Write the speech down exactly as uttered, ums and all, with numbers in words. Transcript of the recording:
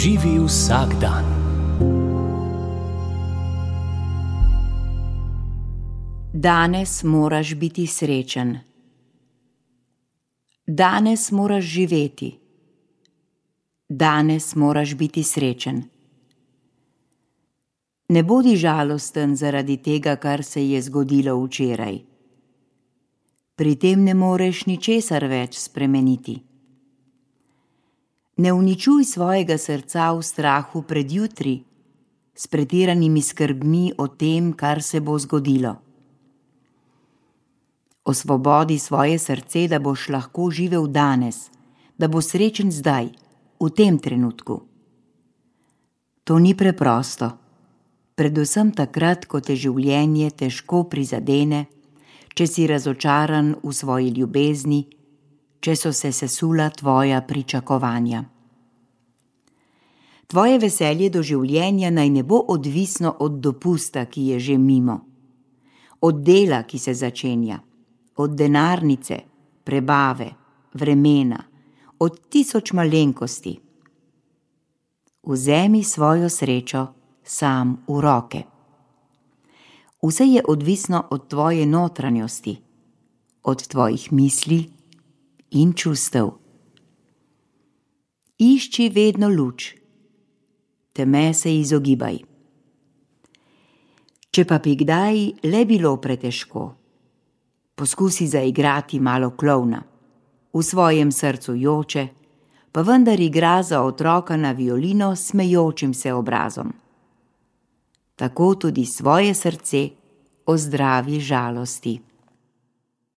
Živi vsak dan. Danes moraš biti srečen. Danes moraš živeti. Danes moraš biti srečen. Ne bodi žalosten zaradi tega, kar se je zgodilo včeraj. Pri tem ne moreš ničesar več spremeniti. Ne uničuj svojega srca v strahu pred jutri, s pretiranimi skrbmi o tem, kar se bo zgodilo. Osvobodi svoje srce, da boš lahko živel danes, da bo srečen zdaj, v tem trenutku. To ni preprosto, predvsem takrat, ko te življenje težko prizadene, če si razočaran v svoji ljubezni, če so se sesula tvoja pričakovanja. Tvoje veselje do življenja naj ne bo odvisno od dopusta, ki je že mimo, od dela, ki se začenja, od denarnice, prebave, vremena, od tisoč malenkosti. Vzemi svojo srečo sam v roke. Vse je odvisno od tvoje notranjosti, od tvojih misli in čustev. Išči vedno luč, teme se izogibaj. Če pa bi kdaj le bilo pretežko, poskusi zaigrati malo klovna, v svojem srcu joče, pa vendar igra za otroka na violino s smejočim se obrazom. Tako tudi svoje srce ozdravi žalosti.